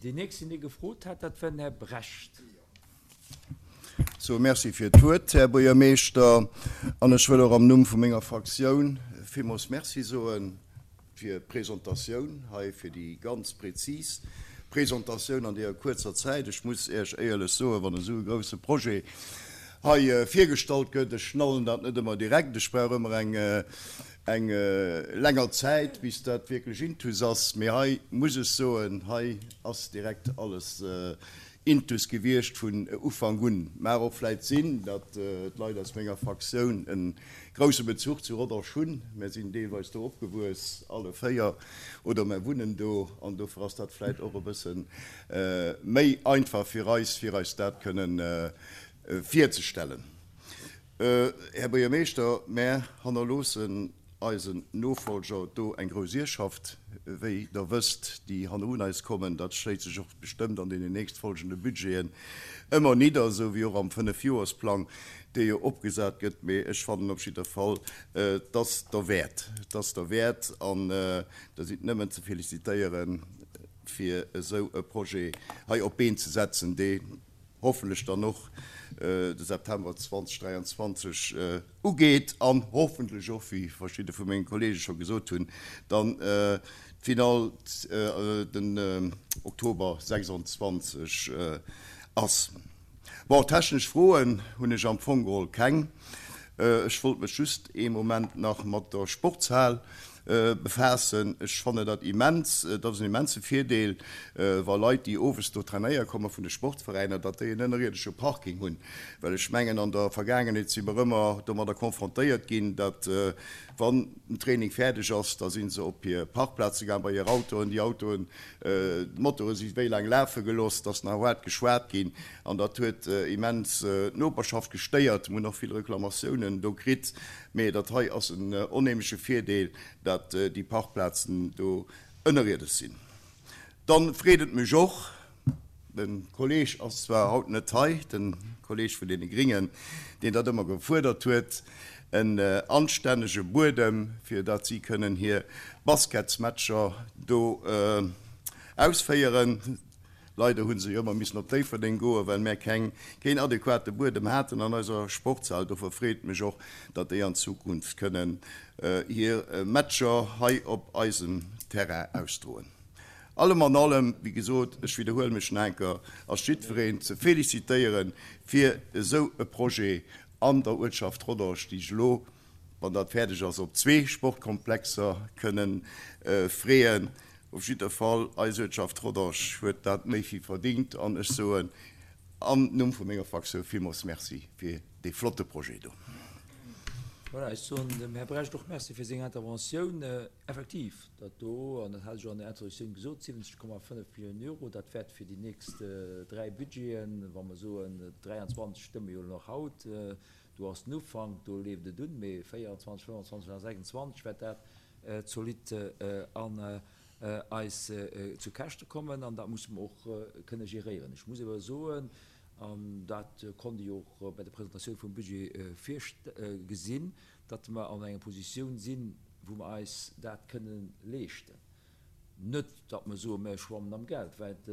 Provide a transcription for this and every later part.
Deen nächsten, dee gefrot hat, dat war den Här Brecht. Sou, Merci fir d'Wuert, Här Buergermeeschter. An ech wëll och am Numm vu menger Fraktioun villmools Merci soe fir d'Presentatioun hei, fir déi ganz prezis Presentatioun an deeër kuerzer Zäit. Ech muss Iech éierlech soen, wann esou e grouse Projet hei virgestallt gëtt, ech schnallen dat net ëmmer direkt, ech brauch ëmmer eng eng länger Zäit, bis dat wierklech intus ass. Mee hei muss ech soen, hei ass direkt alles intus gewiescht vun Ufank un. Mag och vläit sinn, datt d'Leit aus menger Fraktioun e grousse Bezuch zu Rodange hunn. Mär sinn deelweis do opgewuess, alle 4, oder mär wunnen do an dofir ass dat vläit och e bësse méi einfach fir eis, fir eis dat kënnen virzestellen. Här Buergermeeschter, mär hannerloossen eisen Nofolger do eng grouss Ierfschaft, wéi Der wësst, déi hannerun eis kommen. Dat schléit sech och bestëmmt an deenen nächstfolgende Budgeten ëmmer nidder, esou wéi och am Fënnefjoersplang, dee jo opgesat gëtt. Mee ech fannen op jidder Fall, et ass derwäert, et ass derwäert an Der sidd nëmmen ze felicitéieren, fir esou e Projet hei op d'Been ze setzen, dee hoffentlech dann och de September 2023 ugeet an hoffentlech och, wéi verschidde vu menge Kollege scho gesot hunn, dann d'Finall den Oktober 26 ass. Bon, technesch Froen hunn ech am Fong geholl keng. Ech wollt mech just ee Moment nach mat der Sportshal befaassen. Ech fannen dat immens, dat ass en immense Virdeel, wa Leit, déi owes do trainéiere komme vun de Sportveräiner, datt déi en ënnerierdesche Parking hunn. Well ech mengen, an der Vergaangenheet si mer ëmmer domadder konfrontéiert ginn, datt wann den Training fäerdeg ass, da si se op hir Parkplaze gaang bei hir Autoen, déi Autoen, d'Motore si wéi laang lafe gelooss, et ass nach haart geschwat ginn an dat huet immens d'Noperschaft gestéiert. Mir hunn och vill Reklamatiounen do kritt. Mee dat hei ass en onheemleche Virdeel, dat déi Parkplazen do ënnerierdesch sinn. Dann freet et mech och, de Kolleg ass zwar haut net hei, de Kolleg vun deene Gringen, deen dat ëmmer gefuerdert huet, en anstännege Buedem, fir dat si kënnen hir Basketsmatcher do ausféieren. Leider hu se jo ëmmer missen op Déifferdeng goen, well mär keng, keen adequate Buedem haten an eiser Sportshal. Dofir freet et mech och, datt déi an Zukunft kënnen hir Matcher hei op eisem Terrain ausdroen. Allem an allem, wéi gesot, ech widderhuele mech nach eng Kéier, ass jiddwereen ze felicitéiere fir esou e Projet an der Uertschaft Rodange, déi sech elo, wann dat fäerdeg ass, op zwee Sportkomplexer kënnen freeën. Op jidder Fall, eis Uertschaft Rodange huet dat méi wéi verdingt an ech soen am Numm vu menger Fraktioun villmools Merci fir dee flotte Projet do. Voilà, ech soen dem Här Brecht och Merci fir seng Interventioun. Effektiv, dat do, an dat hat ech och an der Introduktioun gesot, 70,5 Milliounen Euro, dat wäert fir déi nächst dräi Budgeten, wa mer soen 23 stëmme jo nach haut, do ass den Ufank, do leeft et un, mee 24, 25 a 26 wäert dat zolidd an eis zu Käschte kommen an dat musse mer och kënne geréieren. Ech muss awer soen, an dat konnt ee jo och bei der Presentatioun vum Budget gesinn, datt mer an enger Positioun sinn, wou mer eis dat kënne leeschten. Net, datt mer soen, mer schwammen am Geld, wäit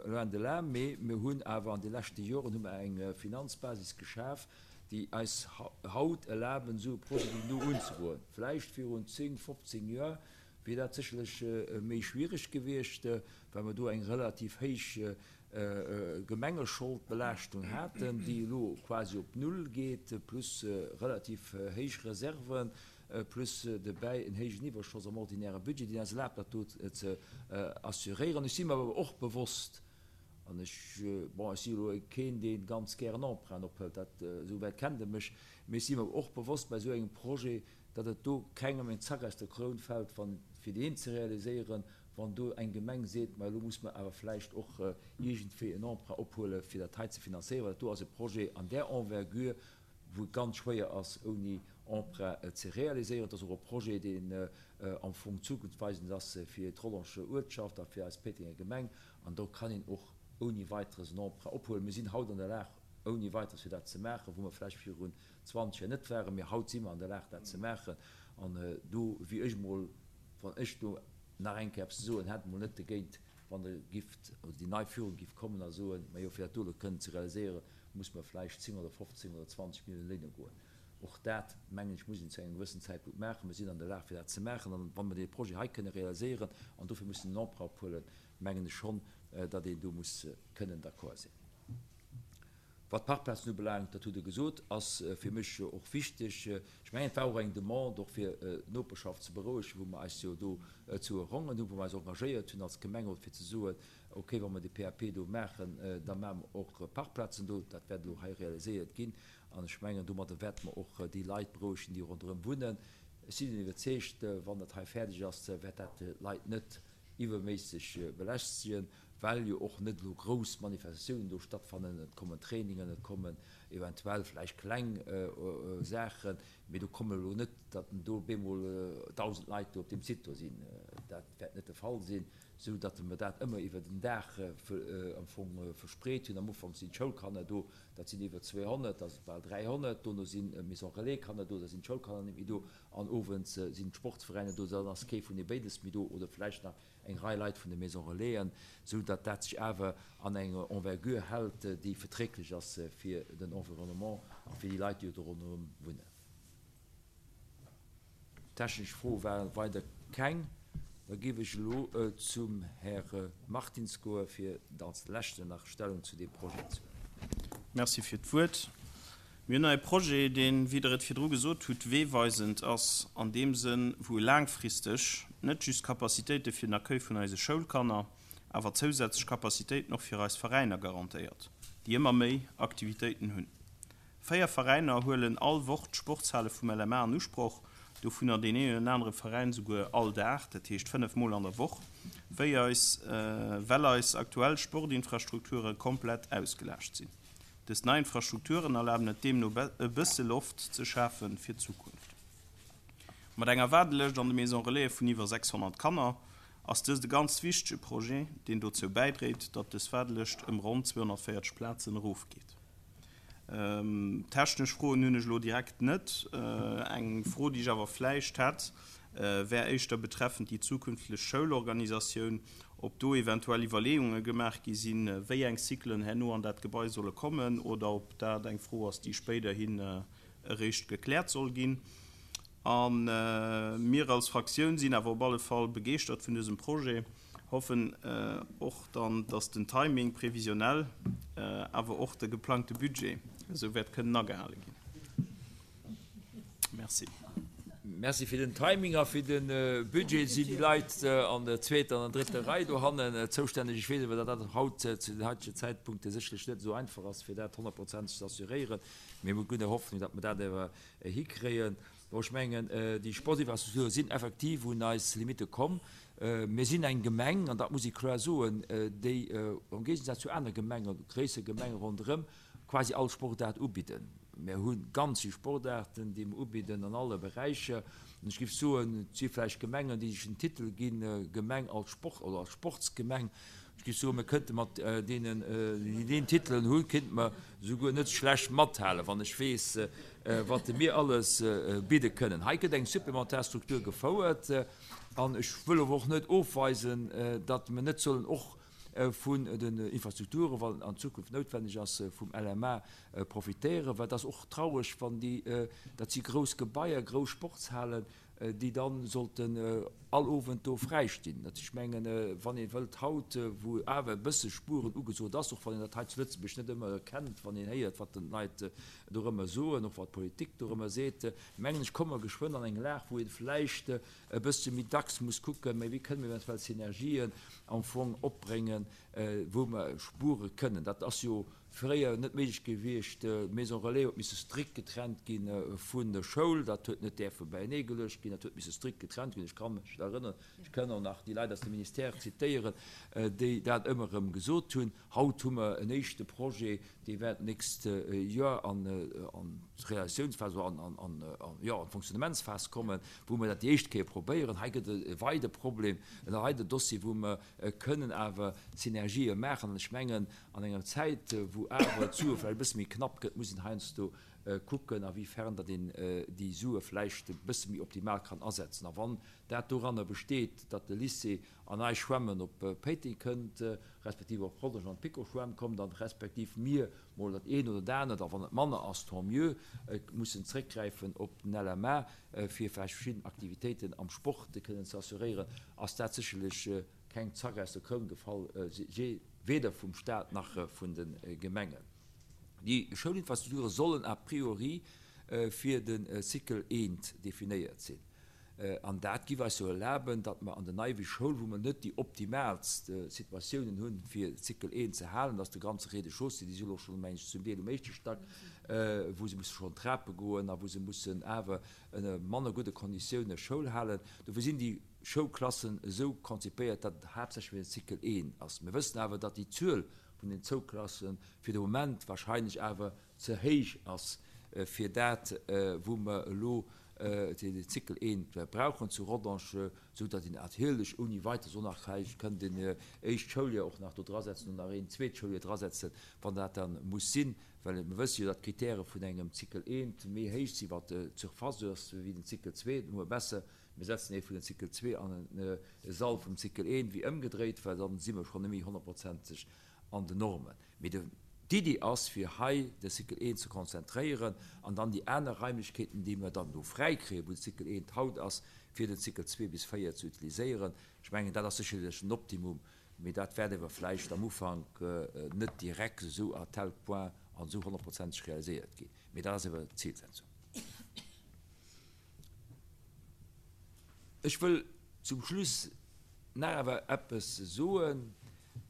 loin de là, mee mir hunn awer an de leschte Joren hu mer eng Finanzbasis geschaf, déi eis haut erlaben, esou e Projet wéi elo unzegoen. Vläicht virun 10, 15 Joer wier dat sécherlech méi schwierig gewiescht, well mer do eng relativ héich Gemengescholdbelaaschtung haten, déi elo quasi op Null geet, plus relativ héich Reserven, plus dobäi en héijen Iwwerschoss am ordinäre Budget, deen eis erlaabt, dat do ze assuréieren. Ech si mer awer och bewosst, An ech, bon, ech si elo keen, dee ganz gären Emprunten ophëlt, dat, esou wäit kennt Der mech, mee ech si mer och bewosst bei esou engem Projet, datt et do kengem en Zack aus der Kroun fält, wann, fir deen ze realiséieren, wann do eng Gemeng seet, ma elo muss mer awer vläicht och iergendwéi en Emprunt ophuele fir dat hei ze finanzéieren, well dat do ass e Projet an där Envergure, wou et ganz schwéier ass, ouni Emprunt ze realiséieren. Et ass och e Projet, deen am Fong zukunftsweisend ass fir d'Rollenger Uertschaft a fir eis Péitenger Gemeng. An do kann een och ouni Weiteres en Emprunt ophuelen. Mir sinn haut an der Lag, ouni Weiteres fir dat ze maachen, wou mer vläicht virun 20 Joer net waren. Mee haut si mer an der Lag, dat ze maachen. An do wier ech emol, wann ech do nach eng Kéier eppes ze soen hätt, emol net dogéint. Wann Der gifft, oder déi nei Führung giff kommen a soen, Majo, fir dat do elo kënnen ze realiséieren, muss mer vläicht 10 oder 15 oder 20 Milliounen léine goen. Och dat, mengen ech, muss een zu engem gewëssen Zäitpunkt maachen. Mir sinn an der Lag, fir dat ze maachen. An wa mer dee Projet hei kënne realiséieren an dofir mussen en Emprunt ophuelen, mengen ech schonn, datt een do muss kënnen d'accord sinn. Wat d'Parkplazen ubelaangt, dat hutt Der gesot, ass fir mech och wichteg. Ech mengen, et war och eng Demande, och fir d'Noperschaft ze berouegen, wou mer eis jo do zu erongen hunn, wou mer eis engagéiert hunn als Gemengerot, fir ze soen, Okay, wa mer de PAP do maachen, da maache mer och Parkplazen do. Dat wäert elo hei realiséiert ginn. An ech mengen, domadder wäerte mer och déi Leit berouegen, déi ronderëm wunnen. Ech sinn iwwerzeegt, wann dat hei fäerdeg ass, wäert dat d'Leit net iwwerméisseg belästegen, well jo och net elo grouss Manifestatiounen do stattfannen. Et kommen Trainingen, et kommen eventuell vläicht kleng Saachen, mee do kommen elo net, datt do op eemol 1.000 Leit do op deem Site do sinn. Dat wäert net de Fall sinn, esou datt mer dat ëmmer iwwer den Dag am Fong verspreet hunn. Am Ufank sinn d'Schoulkanner do, dat sinn iwwer 200, da si bal 300, dono sinn Maison Relais Kanner do, da sinn d'Schoulkanner net méi do, An owends sinn d'Sportsveräiner do, dann ass kee vun de béides méi do oder vläicht nach eng Rei Leit vun de Maison Relaisen, sou datt dat sech awer an enger Envergure hält, déi verträglech ass fir den Environnement a fir déi Leit, déi do ronderëm wunnen. Technesch Froe ware weider keng. Da géif ech elo zum Här Martins goe fir als leschten nach Stellung zu deem Projet ze huelen. Merci fir d'Wuert. Mir hunn hei e Projet, deen, wéi Der et virdru gesot hutt, weeweisend ass an deem Sënn, wou e laangfristeg net just Capacitéite fir den Accueil vun eise Schoulkanner, awer zousätzlech Capacitéiten och fir eis Veräiner garantéiert, déi ëmmer méi Aktivitéiten hunn. Véier Veräiner huelen all Woch d'Sportshale vum LMA an Usproch, dovunner deen een oder anere Veräin souguer all Dag, dat heescht 5 Mol an der Woch, wéi eis, well eis aktuell Sportinfrastrukture komplett ausgelaascht sinn. Dës nei Infrastrukturen erlaben et deemno e bësse Loft ze schafe fir d'Zukunft. Mat enger Waardelëscht an de Maison Relaise vun iwwer 600 Kanner ass dëst e ganz wichtege Projet, deen dozou bäidréit, datt dës Waardelëscht ëm ronn 240 Plazen erofgeet. Technesch Froen hunn ech elo direkt net. Eng Fro, déi ech awer vläicht hätt, wär éischter betreffend déi zukünftlech Schoulorganisatioun, ob do eventuell Iwwerleeunge gemaach gi sinn, wéi eng Cyclen herno an dat Gebai solle kommen, oder ob dat eng Fro ass, déi spéiderhin eréischt gekläert soll ginn. A mir als Fraktioun sinn awer op alle Fall begeeschtert vun dësem Projet, hoffen och dann, dass den Timing prévisionnel, awer och de geplangte Budget esou wäert kënnen agehale ginn. Merci. Merci fir den Timing a fir de Budget. Sinn déi Leit an der zweeter an der drëtter Rei dohannen zoustänneg? Ech weess awer, datt dat haut zu den haitege Zäitpunkte sécherlech net esou einfach ass, fir dat honnertprozenteg ze assuréieren. Mee mir hunn Hoffnung, datt mer dat awer hikréien. Bon, ech mengen, déi Sportsinfrastrukture sinn effektiv un eis Limitte komm. Mir sinn eng Gemeng, an dat muss ee kloer soen, déi am Géigesaz zu aner Gemengen, gréisser Gemenge ronderëm, quasi all Sportaart ubidden. Mir hu ganz vill Sportaarten, déi mer ubidden an alle Beräicher. An ech géif soen, et si vläicht Gemengen, déi sech den Titel ginn, Gemeng als Sport oder als Sportsgemeng. Ech géif soen, mir kënnte mat deenen, déi deen Titelen hunn, kéinte mer souguer net schlecht mathalen, wann ech weess, wat mir alles bidde kënnen. Hei gëtt eng supplementar Struktur gefouert. An ech wëll awer och net ofweisen, datt mer net sollen och vun den Infrastrukturen, wann et an Zukunft noutwenneg ass, vum LMA profitéieren, well et ass och traureg, wann déi, dat si grouss Gebaier, grouss Sportshalen, déi da sollten all Owend do fräi stinn. Ech mengen, wann ee wëllt haut, wou awer e bësse Spueren ugesot ass, och wann een dat hei zu Lëtzebuerg net ëmmer erkennt, wann een héiert, wat dann d'Leit dorëmmer soen, och wat d'Politik dorëmmer seet, mengen ech, komme mer geschwënn an eng Lag, wou ee vläicht e bëssche méi dacks muss kucken, mä wéi kënne mir eventuell Synergien am Fong opbréngen, wou mer spuere kënnen. Dat ass jo fréier net méiglech gewiescht. D'Maison relais huet misse strikt getrennt gi vun der Schoul. Dat huet net däerfe beienee geluecht ginn, dat huet misse strikt getrennt ginn. Ech ka mech erënneren, ech kënn och nach déi Leit aus dem Ministère zitéieren, déi dat ëmmer erëm gesot hunn. Haut hu mer en éischte Projet, dee wäert d'nächst Joer an d'Realisatiounsphas oder an, jo, an d'Fonctionnementsphas kommen, wou mer dat déi éischt Kéier probéieren. Hei gëtt et e weide Problem, e weide Dossier, wou mer kënnen awer Synergië maachen. An ech mengen, an enger Zäit, wou awer d'Sue vläicht e bësse méi knapp gëtt, muss een heiansdo. kucken, a wéi fern datt een déi Sue vläicht e bësse méi optimal kann asetzen. A wann dat doranner besteet, datt de Lycée an eis Schwämmen op Péiteng kënnt, respektiv op Rodange an d'Piko-Schwämm kommt, an respektiv mir mol dat eent oder dat anert, a wann et manner ass, tant mieux, mussen zréckgräifen op den LMA, fir vläicht verschidden Aktivitéiten am Sport kënnen ze assuréieren, ass dat sécherlech keng Zack aus der Kroun gefall, weder vum Stat nach vun de Gemengen. Déi Schoulinfrastrukture sollen a priori fir de Cycle I definéiert sinn. An dat giff eis jo erlaben, datt mer an der Neiwee Schoul, wou mer net déi optimaalst Situatiounen hunn, fir Cycle I ze halen, datt de ganze Rez-de-chaussée, déi si elo schonn, meng ech, zum Deel um éischte Stack, wou se musse schonn Trape goen a wou se mussen awer ënner manner gudde Konditioune Schoul halen. Dofir sinn déi Schoulklassen esou konzipéiert, datt et haaptsächlech fir den Cycle I ass. Mir wëssen awer, datt déi Zuel vun den Zouklasse fir de Moment wahrscheinlech awer ze héich ass fir dat, wou mer elo den Cycle I brauchen zu Rodange, esou datt een natierlech ouni weiteres och nach vläicht kënnt en éischt Schouljoer och nach do drasetzen oder nach een zweet Schouljoer drasetzen, wann dat da muss sinn, well mer wësse jo, datt d'Kritäre vun engem Cycle I méi héich si wat d'Surface ass wéi den Cycle ii. Dann hu mer besser, mir setzen ee vun den Cycle ii an e Sall vum Cycle I wéi ëmgedréit, well dann si mer schonn net méi honnertprozenteg an den Normen. Mee de d'Iddi ass, fir hei de Cycle I ze konzentréieren an dann déi aner Raimlechkeeten, déi mer dann do fräikréien, wou de Cycle I haut ass, fir den Cycle ii bis 4 ze utiliséieren. Ech mengen, dat ass sécherlech en Optimum, mee dat wäert ewer vläicht am Ufank net direkt esou à tel point an esou honnertprozenteg realiséiert ginn. Mee dat ass ewer d'Zilsetzung. Ech wëll zum Schluss nach awer eppes soen,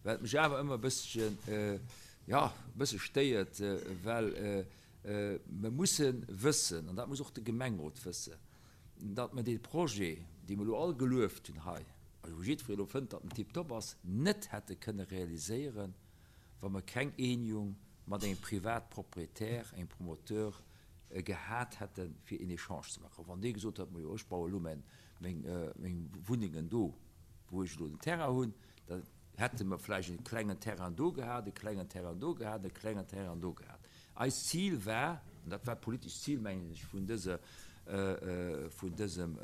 wat mech awer ëmmer e bësschen, jo, e bësse stéiert, well mer musse wëssen, an dat muss och de Gemengerot wëssen, datt mer dee Projet, dee mer elo all gelueft hunn hei, a wou jiddweree elo fënnt, datt en tiptop ass, net hätte kënne realiséieren, wa mer keng Eenjung mat engem Privatpropriétaire, engem Promoteur gehat hätten, fir een Echange ze maachen. Wann dee gesot hätt, Majo, ech baue elo meng Wunnengen do, wou ech elo den Terrain hunn, da hätte mer vläicht e klengen Terrain do gehat, e klengen Terrain do gehat, e klengen Terrain do gehat. Eist Zil war, an dat war d'politescht Zil, mengen ech, vun dëser, vun dësem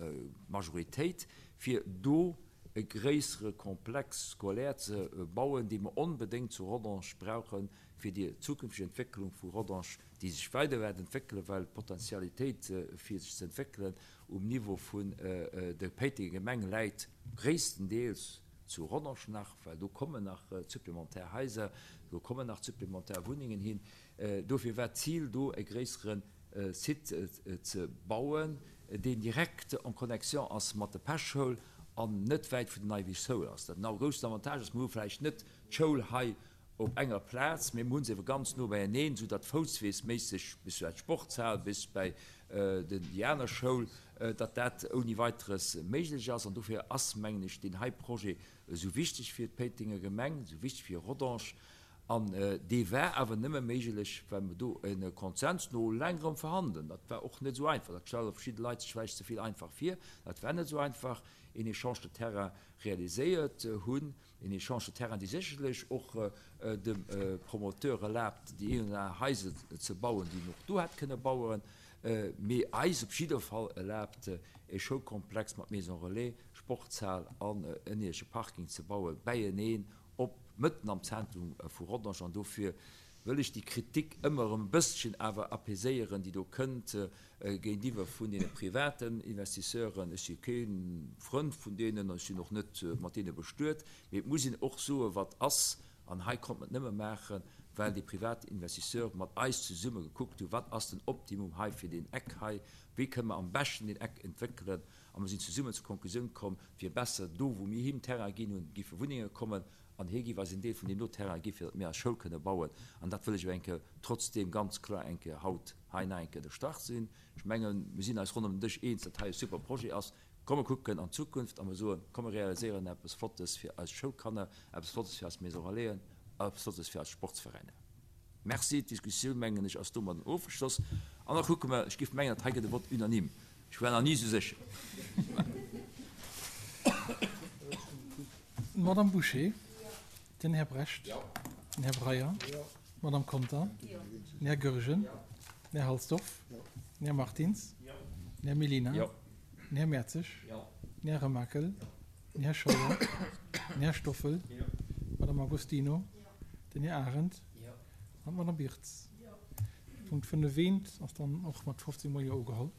Majoritéit, fir do e gréissere Complexe scolaire ze bauen, dee mer onbedéngt zu Rodange brauchen, fir déi zukünfteg Entwécklung vu Rodange, déi sech weider wäert entwéckelen, well d'Potentialitéit fir sech ze entwéckelen um Niveau vun der Péitenger Gemeng läit gréisstendeels zu Rodange nach, well do kommen nach supplémentaire Haiser, do kommen nach supplémentaire Wunnengen hin. Dofir war d'Zil do e gréissere Site ze bauen, deen direkt en connexion ass mat der Pechschoul an net wäit vun der Neiwichschoul ass. Dat en groussen Avantage ass, mir hu vläicht net d'Schoul hei op enger Plaz, mee mir hu se ebe ganz no beieneen, esou datt foussweesméisseg bis bei d'Sportshal, bis bei déi aner Schoul, datt dat ouni Weiteres méiglech ass. An dofir ass, mengen ech, deen hei Projet esou wichteg fir d'Péitenger Gemeng, esou wichteg fir Rodange. An dee war awer nëmme méiglech, well mer do e Konsens no längerem Verhandelen, dat war och net esou einfach, dat stelle verschidde Leit sech vläicht ze vill einfach vir, dat war net esou einfach, een Échange de terrain realiséiert hunn, een Échange de terrain, dee sécherlech och dem Promoteur erlaabt, déi een oder aner Haiser ze bauen, déi en och do hätt kënne bauen, mee eis op jidder Fall erlaabt, e Schoulkomplex mat Maison relais, Sportshal an ënnierdesche Parking ze bauen, bäieneen op mëtten am Zentrum vu Rodange. An dofir wëll ech déi Kritik ëmmer erëm e bësschen awer apaiséieren, déi do kënnt géintiwwer vun deene privaten Investisseuren. Ech si kee Frënd vun deenen an ech sinn och net mat deene bestuet, mee et muss een och soen, wat ass. An hei konnt mer et nëmme maachen, well déi privat Investisseur mat eis zesumme gekuckt hunn, wat ass den Optimum hei fir deen Eck hei, wéi kënne mer am beschten deen Eck entwéckelen. A mer sinn zesummen zur Konklusioun komm, et wier besser, do wou mir him Terrain ginn hunn, giffe Wunnenge kommen an hie giff eis en Deel vun deem do Terrain gi fir datt mir eis Schoul kënne bauen. An dat wëll ech awer eng Kéier trotzdeem ganz kloer eng Kéier haut hei nach eng Kéier ënnerstrach sinn. Ech mengen, mir sinn eis ronderëm den Dësch eens, datt hei e super Projet ass. Komm mer kucken an d'Zukunft a mer soen, komm mer realiséieren eppes Flottes fir eis Schoulkanner, eppes Flottes fir eis Maison Relaisen, eppes Flottes fir eis Sportsveräiner. Merci. D'Diskussioun, mengen ech, ass domadden ofgeschloss. An da kucke mer, ech géif mengen, dat hei gëtt e Vote unanime. Ech war nach ni esou sécher. D'Madame Bouché, den Här Brecht, den Här Breyer, d'Madame Conter, den Här Goergen, den. Den Här Halsdorf. Den Här Martins. Den Här Mellina. Den Här Mertzig. Den Här Remakel. Den Här Scheuer. Den Här Stoffel. D'Madame Agostino. Den Här Arendt an d'Madame Birtz. Punkt 5 eent ass dann och mat 15 mol Jo ugeholl.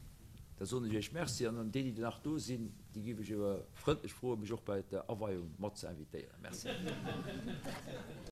Da soen ech Iech Merci an déi, déi nach do sinn, déi géif ech awer frëndlech froen, mech och bei der Aweiung mat ze invitéieren. Merci.